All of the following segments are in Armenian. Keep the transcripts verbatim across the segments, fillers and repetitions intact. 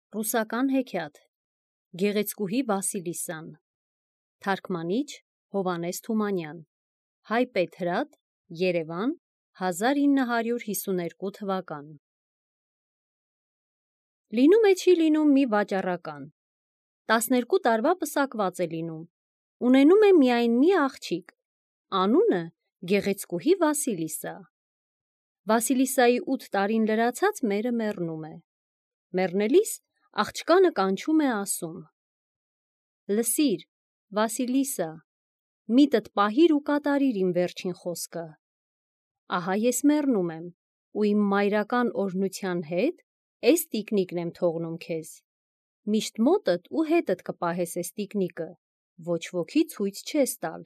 Ռուսական հեքիաթ Գեղեցկուհի Վասիլիսան Թարգմանիչ Հովհաննես Թումանյան Հայ Պետրատ Երևան հազար ինը հարյուր հիսուներկու թվական Լինում է չի լինում մի վաճառական տասներկու տարվա պսակված է լինում ունենում է միայն մի աղջիկ անունը Գեղեցկուհի Վասիլիսա Վասիլիսայի ութ տարին լրացած մերը մեռնում է մեռնելիս աղջկանը կանչում է ասում. Լսիր, Վասիլիսա, միտդ պահիր ու կատարիր իմ վերջին խոսքը. ահա ես մեռնում եմ ու իմ մայրական օրհնության հետ էս տիկնիկն եմ թողնում քեզ, միշտ մոտդ ու հետդ կպահես էս տիկնիկը, ոչ ոքի ցույց չես տալ,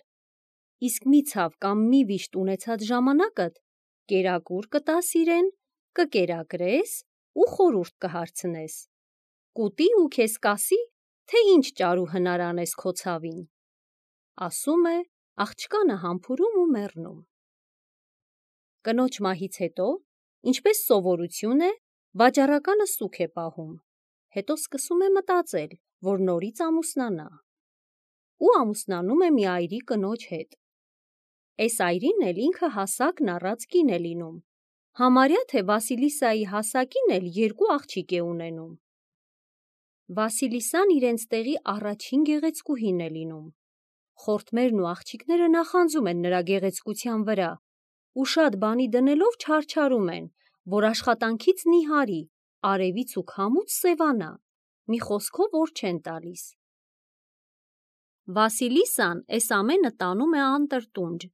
իսկ մի ցավ կամ մի վիշտ ունեցած ժամանակդ կերակուր կտաս իրեն, կկերակրես ու խորհուրդ կհարցնես, կուտի ու քեզ կասի, թե ինչ ճարու հնար անես քո ցավին, ասում է, աղջկանը համբուրում ու մեռնում։ Կնոջ մահից հետո, ինչպես սովորություն է, վաճառականը սուգ է պահում, հետո սկսում է մտածել, որ նորից ամուսնանա, ու ամուսնանում է մի այրի կնոջ հետ։ Էս այրին էլ ինքը հասակն առած կին է լինում, համարյա թե Վասիլիսայի հասակին էլ երկու աղջիկ է ունենում։ Վասիլիսան իրենց տեղի առաջին գեղեցկուհին է լինում, խորթմերն ու աղջիկները նախանձում են նրա գեղեցկության վրա ու շատ բանի դնելով չարչարում են, որ աշխատանքից նիհարի, արևից ու քամուց սևանա, մի խոսքով օր չեն տալիս։ Վասիլիսան էս ամենը տանում է անտրտունջ,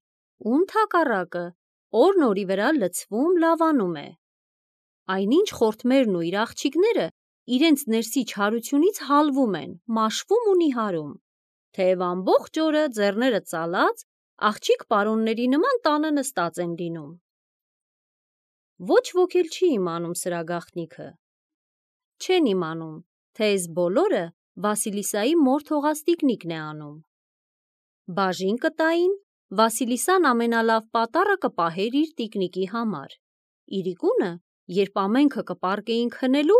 ու ընդհակառակը օրն օրի վրա լցվում, լավանում է։ Այնինչ խորթմերն ու իր աղջիկները իրենց ներսի չարությունից հալվում են, մաշվում ու նիհարում, թեև ամբողջ օրը ձեռները ծալած, աղջիկ պարոնների նման տանը նստած են լինում։ Ոչ ոք էլ չի իմանում սրա գաղտնիքը։ Չեն իմանում, թե էս բոլորը Վասիլիսայի մոր թողած տիկնիկն է անում։ Բաժին կտային, Վասիլիսան ամենալավ պատառը կպահեր իր տիկնիկի համար, իրիկունը, երբ ամենքը կպառկեին քնելու,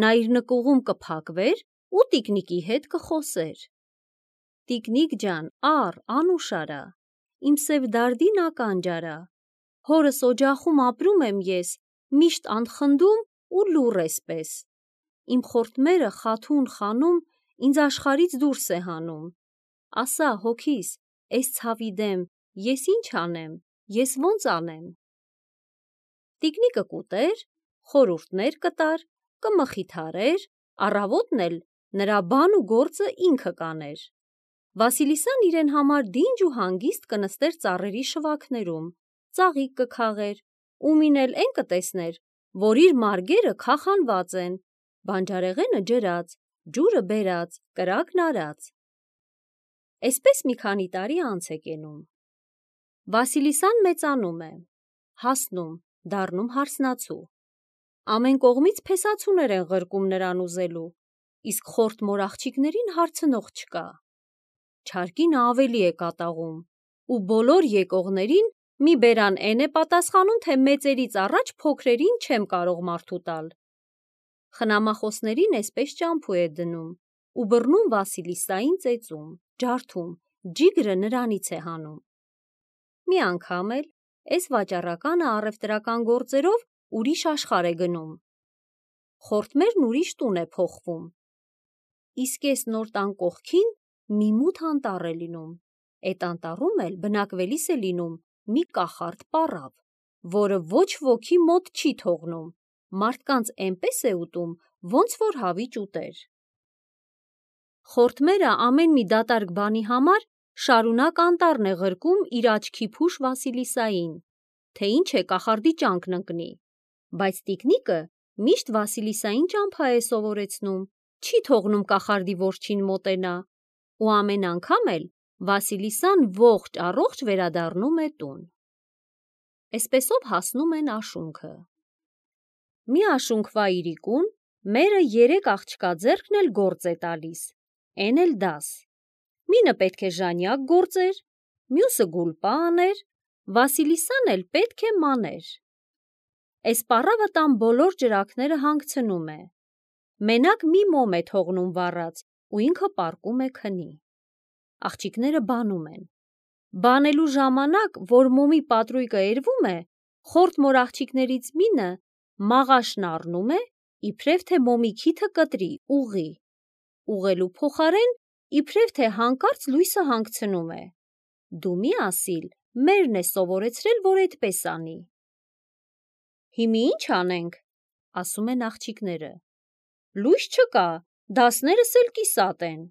նա իր նկուղում կփակվեր ու տիկնիկի հետ կխոսեր. Տիկնիկ ջան, առ, անուշ արա, իմ սև դարդին ականջ արա, հորս օջախում ապրում եմ ես, միշտ անխնդում ու լուռ էսպես, իմ խորթմերը խաթուն խանում, ինձ աշխարհից դուրս է հանում, ասա հոգիս, էս ցավի դեմ, ես ինչ անեմ, ես ոնց անեմ։ Տիկնիկը կուտեր, խորհուրդներ կտար, կմխիթարեր, առավոտն էլ նրա բան ու գործը ինքը կաներ։ Վասիլիսան իրեն համար դինջ ու հանգիստ կնստեր ծառերի շվաքներում, ծաղիկ կքաղեր, ումին էլ էն կտեսներ, որ իր մարգերը քախանված են, բանջարեղենը ջրած, ջուրը բերած, կրակն արած։ Էսպես մի քանի տարի անց է կենում։ Վասիլիսան մեծանում է, հասնում, դառնում հարսնացու։ Ամեն կողմից փեսացուներ են ղրկում նրան ուզելու, իսկ խորթ մոր աղջիկներին հարցնող չկա։ Չարկինը ավելի է կատաղում, ու բոլոր եկողներին մի բերան էն է պատասխանում, թե մեծերից առաջ փոքրերին չեմ կարող մարդու տալ։ Խնամախոսներին էսպես ճամփու է դնում ու բռնում Վասիլիսային ծեծում, ջարդում, ջիգրը նրանից է հանում։ Մի անգամ էլ էս վաճառականը առևտրական գործերով ուրիշ աշխարհ է գնում։ Խորթմերն ուրիշ տուն է փոխվում։ Իսկ էս նոր տան կողքին մի մութ անտառ է լինում, էդ անտառում էլ բնակվելիս է լինում մի կախարդ պառավ, որը ոչ ոքի մոտ չի թողնում, մարդկանց էնպես է ուտում, ոնց որ հավիճ ուտեր։ Խորթմերը ամեն մի դատարկ բանի համար շարունակ անտառն է ղրկում իր աչքի փուշ Վասիլիսային, թե ինչ է կախարդի ճանկն ընկնի, բայց տիկնիկը միշտ Վասիլիսային ճամփա է սովորեցնում, չի թողնում կախարդի որջին մոտենա, ու ամեն անգամ էլ Վասիլիսան ողջ առողջ վերադառնում է տուն։ Էսպեսով հասնում են աշունքը։ Մի աշունքվա իրիկուն մերը երեք աղջկա ձեռքն էլ գործ է տալիս, էն էլ դաս։ Մինը պետք է ժանյակ գործեր, մյուսը գուլպա աներ, Վասիլիսան էլ պետք է մաներ։ Էս պառավը տան բոլոր ջրակները հանգցնում է։ մենակ մի մոմ է թողնում վառած ու ինքը պառկում է քնի։ Աղջիկները բանում են։ Բանելու ժամանակ, որ մոմի պատրույկը էրվում է, խորթ մոր աղջիկներից մինը մաղաշն առնում է, իբրև թե մոմի քիթը կտրի, ուղի։ Ուղելու փոխարեն, իբրև թե հանկարծ լույսը հանգցնում է։ Դու մի ասիլ, մերն է սովորեցրել, որ այդպես անի։ Հիմի ինչ անենք, ասում են աղջիկները։ Լույս չկա, դասներս էլ կիսատ են։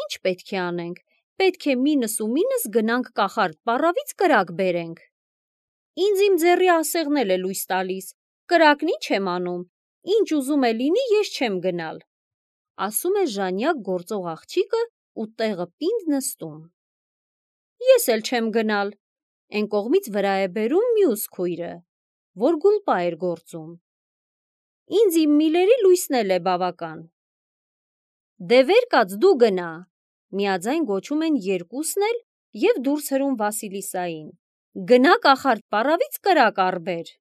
Ինչ պետք է անենք, պետք է մինս ու մինս գնանք կախարդ պառավից կրակ բերենք։ Ինձ իմ ձեռի ասեղն էլ է լույս տալիս, կրակն ինչ եմ անում, ինչ ուզում է լինի, ես չեմ գնալ, ասում է ժանյակ գործող աղջիկը ու տեղը պինդ նստում։ Ես էլ չեմ գնալ, են կողմից վրա է բերում մյուս քույրը, որ գուլպա էր գործում։ Ինձ իմ միլերի լույսն էլ է բավական։ Դե վեր կաց դու գնա, միաձայն գոչում են երկուսն էլ և դուրս հրում Վասիլիսային։ Գնա կախարդ պառավից կրակ առբեր։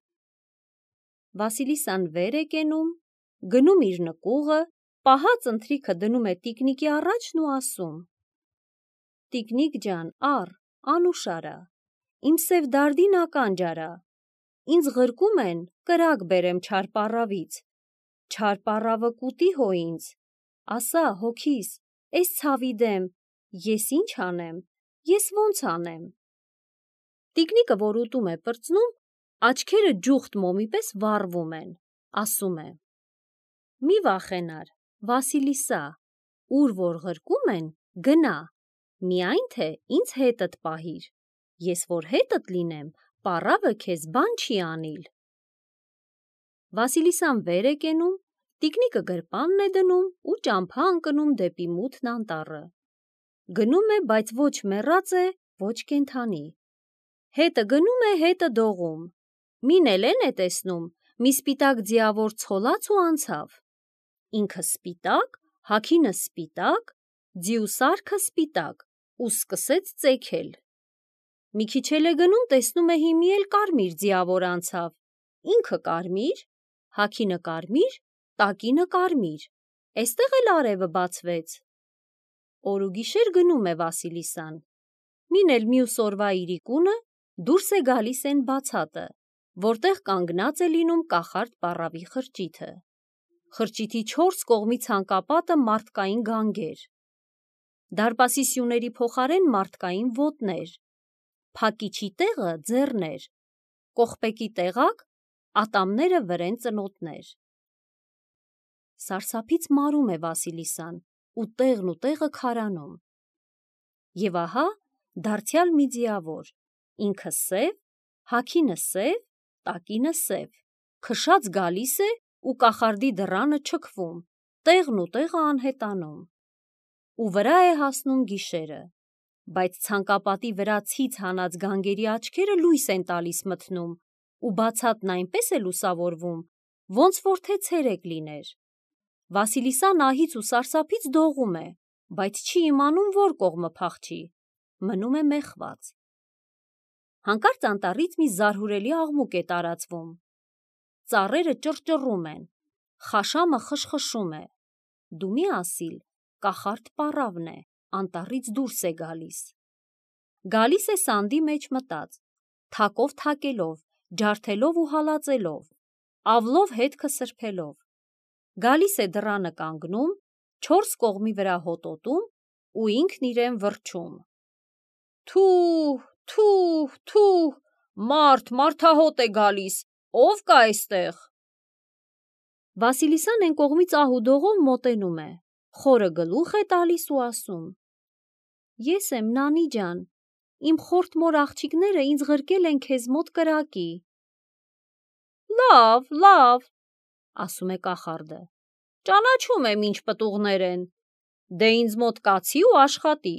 Վասիլիսան վեր է կենում, գնում իր նկուղը, պահած ընթրիքը դնում է տիկնիկի առաջն ու ասում. Տիկնիկ ջան, առ, անուշարա, իմ սև դարդին ականջ արա, ինձ ղրկում են կրակ բերեմ չար պառավից, չար պառավը կուտի հո ինձ, ասա հոգիս, էս ցավի դեմ, ես ինչ անեմ, ես ոնց անեմ։ Տիկնիկը, որ ուտում է պրծնում, աչքերը ջուխտ մոմի պես վառվում են, ասում է. Մի վախենար, Վասիլիսա, ուր որ ղրկում են, գնա, միայն թե ինձ հետդ պահիր, ես որ հետդ լինեմ, պառավը քեզ բան չի անիլ։ Վասիլիսան վեր է կենում, տիկնիկը գրպանն է դնում ու ճամփա ընկնում դեպի մութն անտառը։ Գնում է, բայց ոչ մեռած է, ոչ կենդանի։ Հետը գնում է, հետը դողում։ Մին Էլեն է տեսնում, մի սպիտակ ձիավոր ցոլած ու անցավ։ Ինքը սպիտակ, հագինը սպիտակ, ձիու սարքը սպիտակ, ու սկսեց ծեքել։ Մի քիչ էլ է գնում, տեսնում է հիմի էլ կարմիր ձիավոր անցավ։ Ինքը կարմիր, հագինը կարմիր, տակինը կարմիր, էստեղ էլ արևը բացվեց։ Օր ու գիշեր գնում է Վասիլիսան։ Մին էլ մյուս օրվա իրիկունը դուրս է գալիս են բացատը, որտեղ կանգնած է լինում կախարդ պառավի խրճիթը։ Խրճիթի չորս կողմի ցանկապատը մարդկային գանգեր։ Դարպասի սյուների փոխարեն մարդկային ոտներ, փակիչի տեղը ձեռներ, կողպեկի տեղակ ատամները վրեն ծնոտներ։ Սարսափից մարում է Վասիլիսան ու տեղն ու տեղը քարանում։ Եվ ահա դարձյալ մի ձիավոր, ինքը սև, հագինը սև, տակինը սև, քշած գալիս է ու կախարդի դռանը չքվում, տեղն ու տեղը անհետանում։ Ու վրա է հասնում գիշերը, բայց ցանկապատի վրա ցից հանած գանգերի աչքերը լույս են տալիս մթնում, ու բացատն այնպես է լուսավորվում, ոնց որ թե ցերեկ լիներ։ Վասիլիսան ահից ու սարսափից դողում է, բայց չի իմանում որ կողմը փախչի, մնում է մեխված։ Հանկարծ անտառից մի զարհուրելի աղմուկ է տարածվում։ Ծառերը ճռճռում են, խաշամը խշխշում է։ Դու մի ասիլ, կախարդ պառավն է, անտառից դուրս է գալիս։ Գալիս է սանդի մեջ մտած, թակով թակելով, ջարդելով ու հալածելով, ավլով հետքը սրբելով։ Գալիս է դռանը կանգնում, չորս կողմի վրա հոտոտում ու ինքն իրեն վրչում. Թուհ, թուհ, թուհ, մարդ, մարդահոտ է գալիս, ով կա այստեղ։ Վասիլիսան են կողմից ահուդողով մոտենում է, խորը գլուխ է տալիս ու ասում. Ես եմ Նանի ջան, իմ խորթ մոր աղջիկները ինձ ղրկել են քեզ մոտ կրակի։ Լավ, լավ, ասում է կախարդը, ճանաչում եմ ինչ պտուղներ են, դե ինձ մոտ կացի ու աշխատի,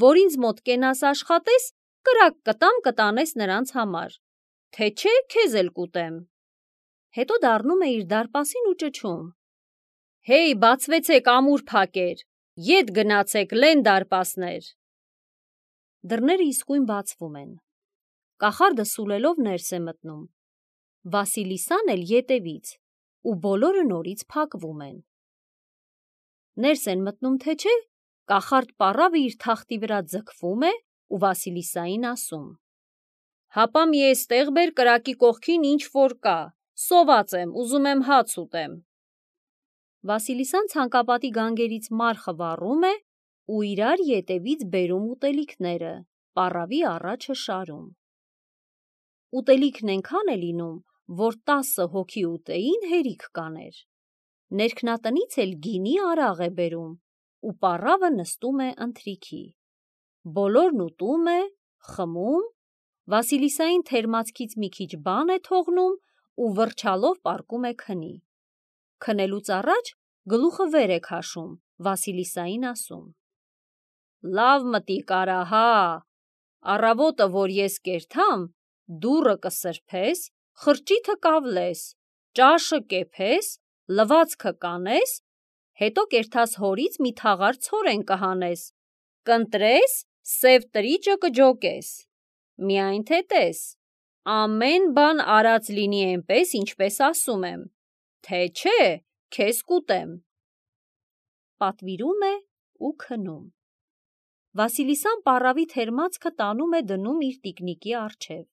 որ ինձ մոտ կենաս աշխատես, կրակ կտամ կտանես նրանց համար, թե չէ քեզ էլ կուտեմ։ Հետո դառնում է իր դարպասին ու ճչում. Հեյ, բացվեցեք ամուր փակեր, ետ գնացեք լեն դարպասներ։ Դռները իսկույն բացվում են։ Կախարդը սուլելով ներս է մտնում։ Վասիլիսան էլ ետևից, ու բոլորը նորից փակվում են։ Ներս են մտնում, թե չէ, կախարդ պառավը իր թախտի վրա ձգվում է ու Վասիլիսային ասում. «Հապա մի էստեղ բեր կրակի կողքին ինչ որ կա, սոված եմ, ուզում եմ հաց ուտեմ»։ Վասիլիսան ցանկապատի գանգերից մարխը վառում է ու իրար ետևից բերում ուտելիքները, պառավի առաջը շարում։ Ուտելիքն այնքան է լինում, որ տասը հոգի ուտեին հերիք կաներ։ Ներքնատնից էլ գինի արաղ է բերում, ու պառավը նստում է ընթրիքի։ Բոլորն ուտում է, խմում, Վասիլիսային թերմացքից մի քիչ բան է թողնում ու վրչալով պառկում է քնի։ Քնելուց առաջ գլուխը վեր է քաշում, Վասիլիսային ասում. «Լավ մտիկ արա, հա, առավոտը, որ ես կերթամ, դուռը կսրբես, խրճիթը կավլես, ճաշը կեփես, լվացքը կանես, հետո կերթած հորից մի թաղար ցորեն կհանես, կընտրես, սև տրիճը կջոկես, միայն թե տես, ամեն բան արած լինի էնպես, ինչպես ասում եմ, թե չէ, քեզ կուտեմ»։ Պատվիրում է ու քնում։ Վասիլիսան պառավի թերմացքը տանում է դնում իր տիկնիկի առջև։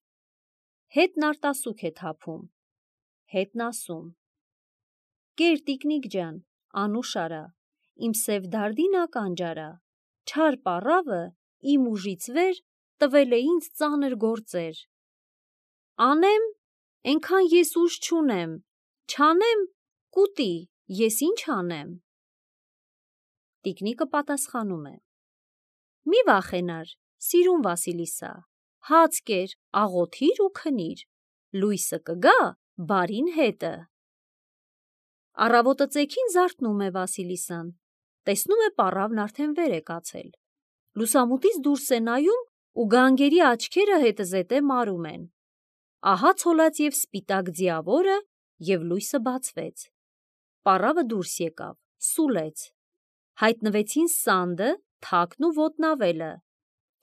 Հետն արտասուք է թափում, հետն ասում. «Կեր տիկնիկ ջան, անուշ արա, իմ սև դարդին ականջ արա, չար պառավը իմ ուժից վեր տվել է ինձ ծանր գործեր։ Անեմ, էնքան ես ուժ չունեմ, չանեմ, կուտի, ես ինչ անեմ»։ Տիկնիկը պատասխանում է. «Մի վախենար, սիրուն Վասիլիսա, հաց կեր, աղոթիր ու քնիր, լույսը կգա բարին հետը»։ Առավոտը ծեքին զարթնում է Վասիլիսան, տեսնում է պառավն արդեն վեր է կացել։ Լուսամուտից դուրս է նայում ու գանգերի աչքերը հետզհետե մարում են։ Ահա ցոլած և սպիտակ ձիավորը, և լույսը բացվեց։ Պառավը դուրս եկավ, սուլեց։ Հայտնվեցին սանդը, թակն ու ոտնավելը,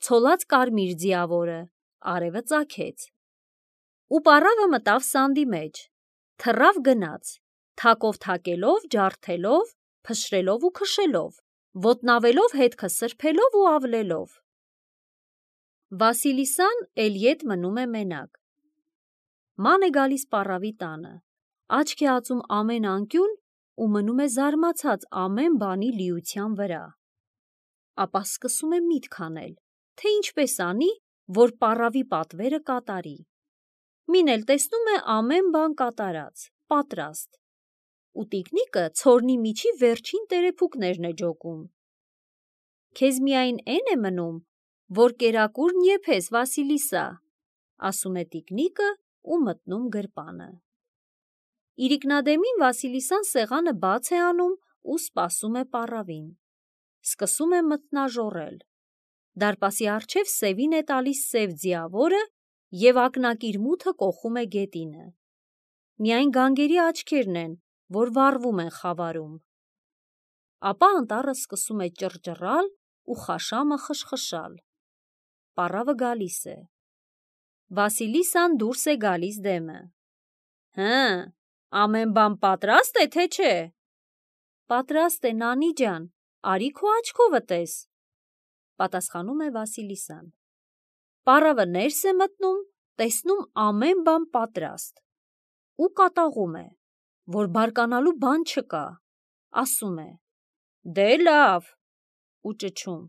ցոլած կարմիր ձիավորը, արևը ծագեց։ Ու պառավը մտավ սանդի մեջ, թռավ գնաց, թակով թակելով, ջարդելով, փշրելով ու քշելով, ոտնավելով հետքը սրբելով ու ավլելով։ Վասիլիսան էլ ետ մնում է մենակ։ Ման է գալիս պառավի տանը, աչք է ածում ամեն անկյուն ու մնում է զարմացած ամեն բանի լիության վրա։ Ապա սկսում է միտք անել, թե ինչպես անի, որ պառավի պատվերը կատարի։ Մին էլ տեսնում է ամեն բան կատարած, պատրաստ, ու տիկնիկը ցորնի միջի վերջին տերեփուկներն է ջոկում։ «Քեզ միայն էն է մնում, որ կերակուրն եփես, Վասիլիսա», ասում է տիկնիկը ու մտնում գրպանը։ Իրիկնադեմին Վասիլիսան սեղանը բաց է անում ու սպասում է պառավին։ Սկսում է մթնաժոռել։ Դարպասի առջև սևին է տալիս սև ձիավորը և ակնակիր մութը կոխում է գետինը։ Միայն գանգերի աչքերն են, որ վառվում են խավարում։ Ապա անտառը սկսում է ճռճռալ ու խաշամը խշխշալ։ Պառավը գալիս է։ Վասիլիսան դուրս է գալիս դեմը։ «Հը, ամեն բան պատրաստ է, թե չէ»։ «Պատրաստ է, Նանի ջան, արի քո աչքովը տես», պատասխանում է Վասիլիսան։ Պառավը ներս է մտնում, տեսնում ամեն բան պատրաստ ու կատաղում է, որ բարկանալու բան չկա, ասում է. «Դե լավ», ու ճչում.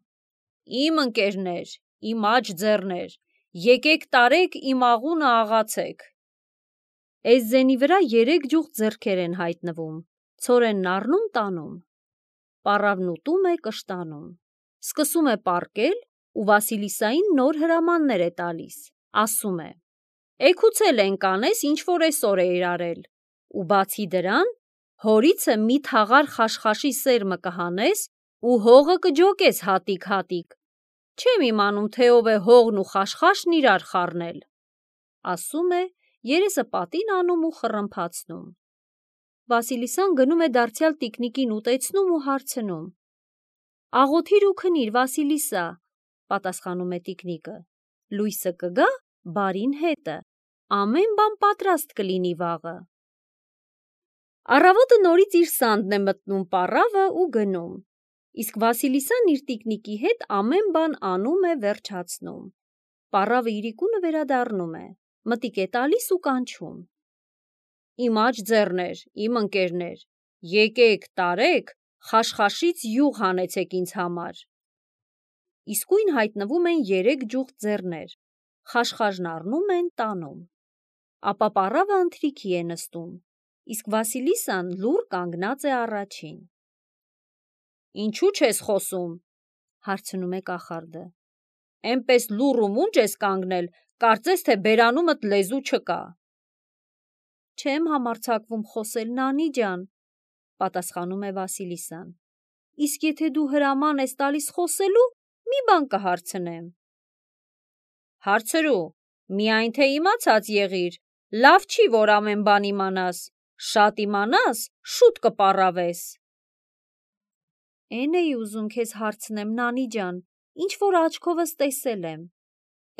«Իմ ընկերներ, իմ աջ ձեռներ, եկեք տարեք իմ աղունը աղացեք»։ Էսզենի վրա երեք ջուղ ձեռքեր են հայտնվում, ցորենն առնում տանում։ Պառավն ուտում է, կշտանում, սկսում է պառկել ու Վասիլիսային նոր հրամաններ է տալիս, ասում է. «Էգուցել ենք անես, ինչ որ էսօր էիր արել, ու բացի դրան, հորիցը մի թաղար խաշխաշի սերմը կհանես ու հողը կջոկես հատիկ-հատիկ, չեմ իմանում, թե ով է հողն ու խաշխաշն իրար խառնել», ասում է, երեսը պատին անում ու խռմփացնում։ Վասիլիսան գնում է դարձյալ տիկնիկին ուտեցնում ու հարցնում. «Աղոթիր ու քնիր, Վասիլիսա», պատասխանում է տիկնիկը, «լույսը կգա բարին հետը, ամեն բան պատրաստ կլինի վաղը»։ Առավոտը նորից իր սանդն է մտնում պառավը ու գնում, իսկ Վասիլիսան իր տիկնիկի հետ ամեն բան անում է, վերջացնում։ Պառավը իրիկունը վերադառնում է, մտիկ է տալիս ու կանչում. «Իմ աջ ձեռներ, իմ ընկերներ, եկեք, տարեք, խաշխաշից յուղ հանեցեք ինձ համար»։ Իսկույն հայտնվում են երեք ջուղթ ձեռներ, խաշխաժն առնում են, տանում։ Ապա պառավը ընթրիքի է նստում, իսկ Վասիլիսան լուռ կանգնած է առաջին։ «Ինչու չես խոսում», հարցնում է կախարդը։ «Էնպես լուռ ու մունջ ես կանգնել, կարծես թե բերանումդ լեզու չկա»։ «Չեմ համարձակվում խոսել, Նանի ջան», պատասխանում է Վասիլիսան։ «Իսկ եթե դու հրաման ես տալիս խոսելու, մի բան կհարցնեմ»։ «Հարցրու, միայն թե իմացած եղիր, լավ չի, որ ամեն բան իմանաս, շատ իմանաս, շուտ կպառավես»։ «Էն էի ուզում քեզ հարցնեմ, Նանի ջան, ինչ-որ աչքովս տեսել եմ։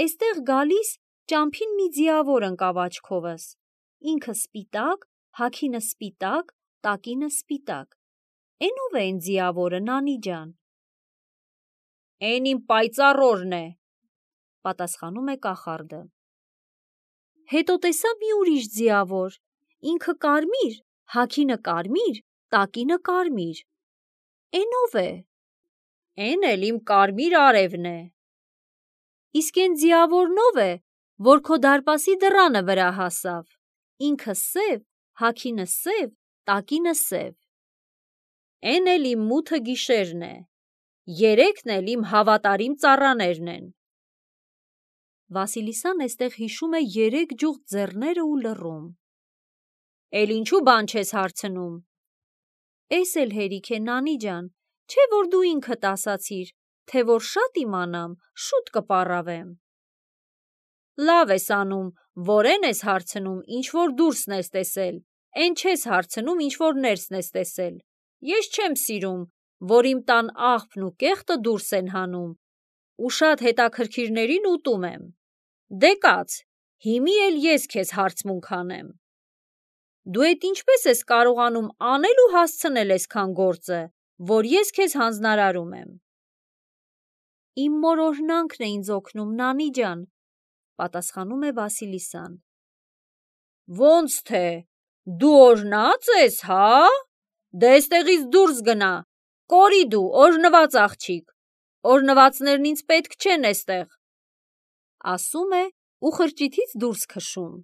Էստեղ գալիս ճամփին մի ձիավոր ընկավ աչքովս, ինքը սպիտակ, հագինը սպիտակ, տակինը սպիտակ։ Էն ո՞վ է էն ձիավորը, Նանի ջան»։ «Էն իմ պայծառորն է», պատասխանում է կախարդը։ Հետո տեսա մի ուրիշ ձիավոր, ինքը կարմիր, հագինը կարմիր, տակինը կարմիր։ Էն ո՞վ է։ «Էն էլ իմ կարմիր արևն է»։ «Իսկ էն ձիավորն ո՞վ է, որ քո դարպասի դռանը վրա հասավ, ինքը սև, հագինը սև, տակինը սև»։ «Էն էլ իմ մութը գիշերն է, երեքն էլ իմ հավատարիմ ծառաներն են»։ Վասիլիսան էստեղ հիշում է երեք ջուղթ ձեռները ու լռում։ «Էլ ինչու բան չես հարցնում»։ «Էս էլ հերիք է, Նանի ջան, չէ՞ որ դու ինքդ ասացիր, թե որ շատ իմանամ, շուտ կպառավեմ»։ «Լավ ես անում, որ էն ես հարցնում, ինչ որ դուրսն ես տեսել, էն չես հարցնում, ինչ որ ներսն ես տեսել։ Ես չեմ սիրում, որ իմ տան աղբն ու կեղտը դուրս են հանում, ու շատ հետաքրքիրներին ուտում եմ։ Դե կաց, հիմի էլ ես քեզ հարցմունք անեմ։ Դու էդ ինչպես ես կարողանում անել ու հասցնել էսքան գործը, որ ես քեզ հանձնարարում եմ»։ «Իմ մոր օրհնանքն է ինձ օգնում, Նանի ջան», պատասխանում է Վասիլիսան։ «Ոնց թե, դու օրհնած ես, հա՞։ Դե էստեղից դուրս գնա, կորի դու, օրհնված աղջիկ, օրհնվածներն ինձ պետք չեն էստեղ», ասում է ու խրճիթից դուրս քշում։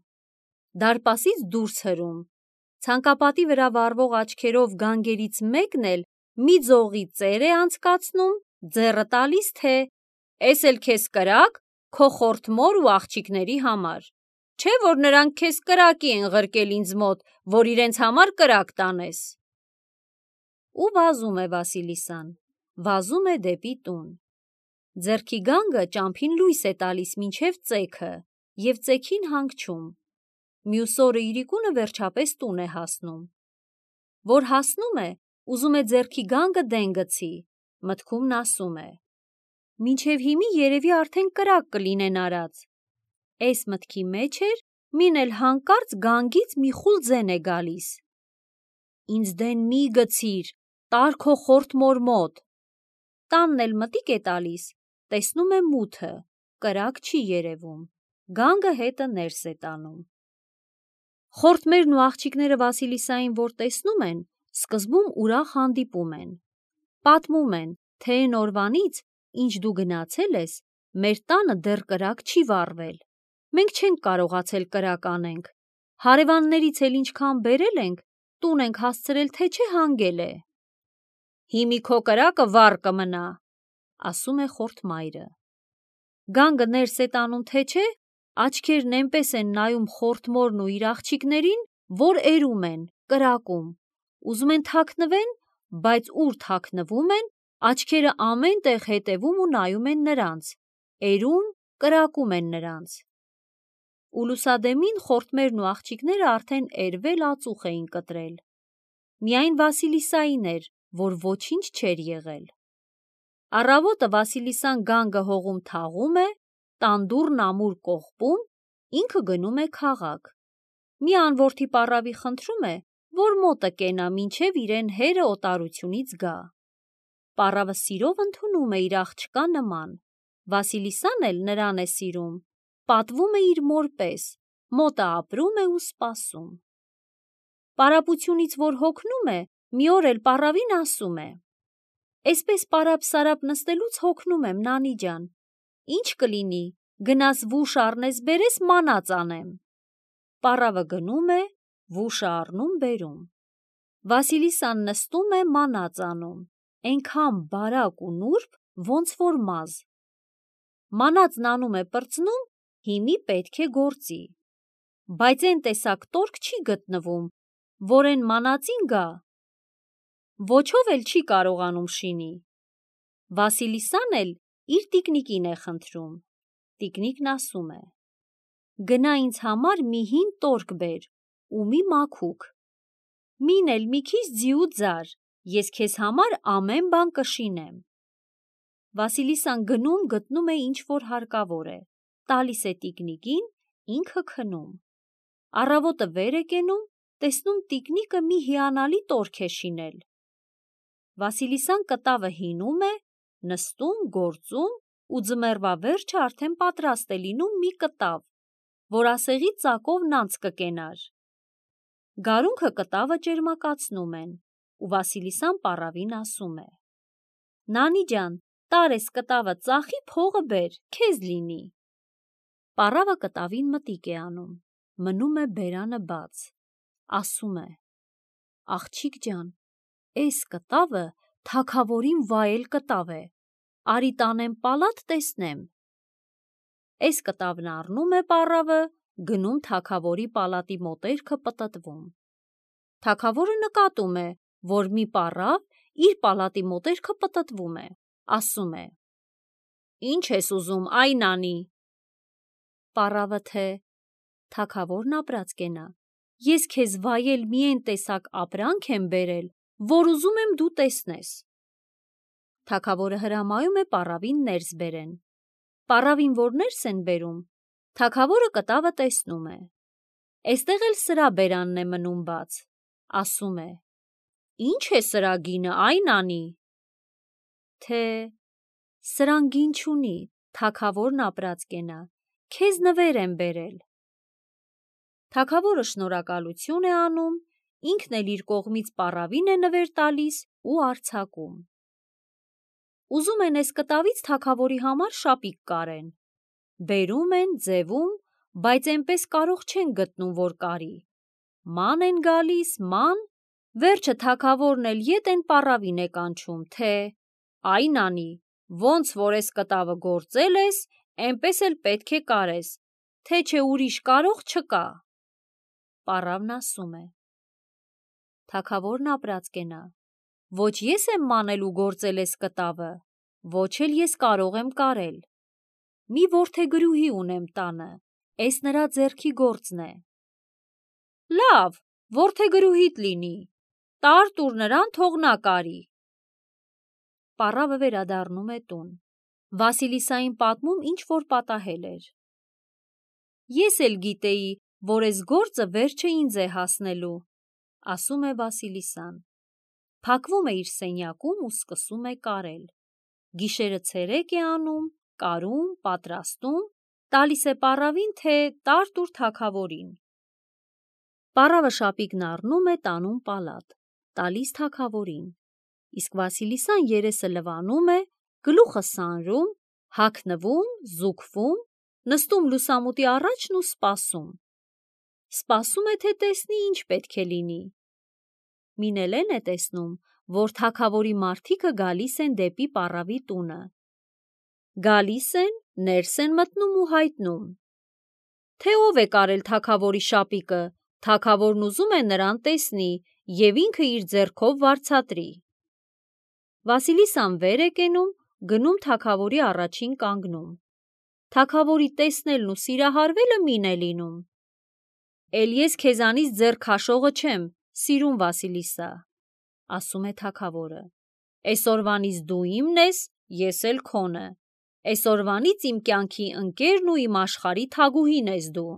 Դարպասից դուրս հրում, ցանկապատի վրա վառվող աչքերով գանգերից մեկն էլ մի ձողի ծեր է անցկացնում, ձեռը տալիս, թե «Էս էլ քեզ կրակ, քո խորթ մոր ու աղջիկների համար։ Չէ՞ որ նրանք քեզ կրակի են ղրկել ինձ մոտ, որ իրենց համար կրակ տանես»։ Ու վազում է Վասիլիսան, վազում է դեպի տուն։ Ձեռքի գանգը ճամփին լույս է տալիս մինչև ծեքը և ծեքին հանգչում։ Մյուս օրը իրիկունը վերջապես տուն է հասնում։ Որ հասնում է, ուզում է ձեռքի գանգը դեն գցի, մտքումն ասում է. «Մինչև հիմի երևի արդեն կրակ կլինեն արած»։ Էս մտքի մեջ էր, մին էլ հանկարծ գանգից մի խուլ ձեն է գալիս։ «Ինձ դեն մի գցիր, տար քո խորթ մոր մոտ»։ Տանն էլ մտիկ է տալիս, տեսնում է մութը, կրակ չի երևում, գանգը հետը ներս է տանում։ Խորթմերն ու աղջիկները Վասիլիսային որ տեսնում են, սկզբում ուրախ հանդիպում են։ Պատմում են, թե էն օրվանից, ինչ դու գնացել ես, մեր տանը դեռ կրակ չի վառվել։ Մենք չենք կարողացել կրակ անենք, հարևաններից էլ ինչքան բերել ենք, տուն ենք հասցրել, թե չէ հանգել է։ «Հիմի քո կրակը վառ կմնա», ասում է խորթմայրը։ Գանգը ներս է տանում, թե չէ, աչքերն էնպես են նայում խորթմորն ու իր աղջիկներին, որ էրում են, կրակում, ուզում են թաքնվեն, բայց ուր թաքնվում են, աչքերը ամեն տեղ հետևում ու նայում են նրանց, էրում, կրակում են նրանց։ Ու լուսադեմին խորթմերն ու աղջիկները արդեն էրվել ածուխ էին կտրել։ Միայն Վասիլիսային էր, որ ոչինչ չէր եղել։ Առավոտը Վասիլիսան գանգը հողում թաղում է, տանդուռն ամուր կողպում, ինքը գնում է քաղաք։ Մի անորդի պառավի խնդրում է, որ մոտը կենա մինչև իրեն հերը օտարությունից գա։ Պառավը սիրով ընդունում է իր աղջկա նման, Վասիլիսան էլ նրան է սիրում, պատվում է իր մոր պես, մոտը ապրում է ու սպասում։ Պարապությունից որ հոգնում է, մի օր էլ պառավին ասում է. «Էսպես պարապ-սարապ նստելուց հոգնում եմ, Նանի ջան, ինչ կլինի, գնաս վուշ առնես բերես, մանած անեմ»։ Պառավը գնում է, վուշը առնում բերում։ Վասիլիսան նստում է, մանած անում, էնքան բարակ ու նուրբ, ոնց որ մազ։ Մանածն անում է պրծնում, հիմի պետք է գործի։ Բայց էն տեսակ տորք չի գտնվում, որ էն մանածին գա։ Ոչով էլ չի կարողանում շինի։ Վասիլիսան էլ իր տիկնիկին է խնդրում։ Տիկնիկն ասում է. «Գնա ինձ համար մի հին տորք բեր ու մի մաքուկ, մին էլ մի քիչ ձի ու ձար, ես քեզ համար ամեն բան կշինեմ»։ Վասիլիսան գնում գտնում է ինչ որ հարկավոր է, տալիս է տիկնիկին, ինքը քնում։ Առավոտը վեր է կենում, տեսնում տիկնիկը մի հիանալի տորք է շինել։ Վասիլիսան կտավը հինում է, նստում, գործում ու ձմեռվա վերջը արդեն պատրաստ է լինում մի կտավ, որ ասեղի ծակով նանց կկենար։ Գարունքը կտավը ճերմակացնում են, ու Վասիլիսան պառավին ասում է. «Նանի ջան, տար էս կտավը ծախի, փողը բեր, քեզ լինի»։ Պառավը կտավին մտիկ է անում, մնում է բերանը բաց, ասում է. «Աղջիկ ջան, էս կտավը թագավորին վայել կտավ է, արի տանեմ պալատ տեսնեմ»։ Էս կտավն առնում է պառավը, գնում թագավորի պալատի մոտերքը պտտվում։ Թագավորը նկատում է, որ մի պառավ իր պալատի մոտերքը պտտվում է, ասում է. «Ինչ ես ուզում, այ Նանի»։ Պառավը թե. «Թագավորն ապրած կենա, ես քեզ վայել մի էն տեսակ ապրանք եմ բերել, որ ուզում եմ դու տեսնես»։ Թագավորը հրամայում է պառավին ներս բերեն։ Պառավին որ ներս են բերում, թագավորը կտավը տեսնում է։ Էստեղ էլ սրա բերանն է մնում բաց, ասում է. «Ինչ է սրա գինը, այ Նանի»։ Թե. «Սրան գին չունի, թագավորն ապրած կենա, քեզ նվեր եմ բերել»։ Թագավորը շնորհակալություն է անում, ինքն էլ իր կողմից պառավին է նվեր տալիս ու արձակում։ Ուզում են էս կտավից թագավորի համար շապիկ կարեն։ Բերում են, ձևում, բայց էնպես կարող չեն գտնում, որ կարի։ Ման են գալիս, ման, վերջը թագավորն էլ ետ են պառավին է կանչում, թե «Այ Նանի, ոնց որ էս կտավը գործել ես, էնպես էլ պետք է կարես, թե չէ ուրիշ կարող չկա»։ Պառավն ասում է. «Թագավորն ապրած կենա, ոչ ես եմ մանել ու գործել էս կտավը, ոչ էլ ես կարող եմ կարել։ Մի որդեգրուհի ունեմ տանը, էս նրա ձեռքի գործն է»։ «Լավ, որդեգրուհիդ լինի, տար տուր նրան, թող նա կարի»։ Պառավը վերադառնում է տուն, Վասիլիսային պատմում ինչ որ պատահել էր։ «Ես էլ գիտեի, որ էս գործը վերջը ինձ է հասնելու», ասում է Վասիլիսան։ Փակվում է իր սենյակում ու սկսում է կարել։ Գիշերը ցերեկ է անում, կարում, պատրաստում, տալիս է պառավին, թե տար տուր թագավորին։ Պառավը շապիկն առնում է, տանում պալատ, տալիս թագավորին, իսկ Վասիլիսան երեսը լվանում է, գլուխը սանրում, հագնվում, զուգվում, նստում լուսամուտի առաջն ու սպասում։ Սպասում է, թե տեսնի ինչ պետք է լինի։ Մին էլ էն է տեսնում, որ թագավորի մարդիկը գալիս են դեպի պառավի տունը։ Գալիս են, ներս են մտնում ու հայտնում, թե ով է կարել թագավորի շապիկը, թագավորն ուզում է նրան տեսնի և ինքը իր ձեռքով վարձատրի։ Վասիլիսան վեր է կենում, գնում թագավորի առաջին կանգնում։ Թագավորի տեսնելն ու սիրահարվելը մին է լինում։ «Էլ ես քեզանից ձեռ քաշողը չեմ, սիրուն Վասիլիսա», ասում է թագավորը։ «Էսօրվանից դու իմն ես, ես էլ քոնը։ Էսօրվանից իմ կյանքի ընկերն ու իմ աշխարհի թագուհին ես դու»։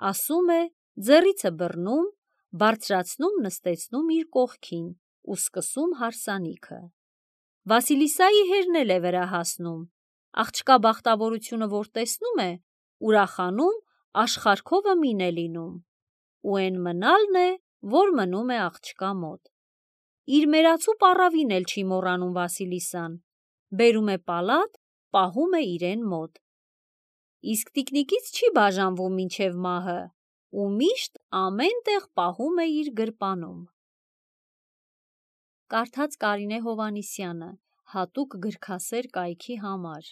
Ասում է, ձեռիցը բռնում, բարձրացնում նստեցնում իր կողքին ու սկսում հարսանիքը։ Վասիլիսայի հերն էլ է վրա հասնում, աղջկա բախտավորությունը որ տեսնում է, ուրախանում, աշխարհքովը մին է լինում, ու էն մնալն է, որ մնում է աղջկա մոտ։ Իր մերացու պառավին էլ չի մոռանում Վասիլիսան, բերում է պալատ, պահում է իրեն մոտ։ Իսկ տիկնիկից չի բաժանվում մինչև մահը ու միշտ ամեն տեղ պահում է իր գրպանում։ Կարդաց Կարինե Հովհաննիսյանը, հատուկ գրքասեր կայքի համար։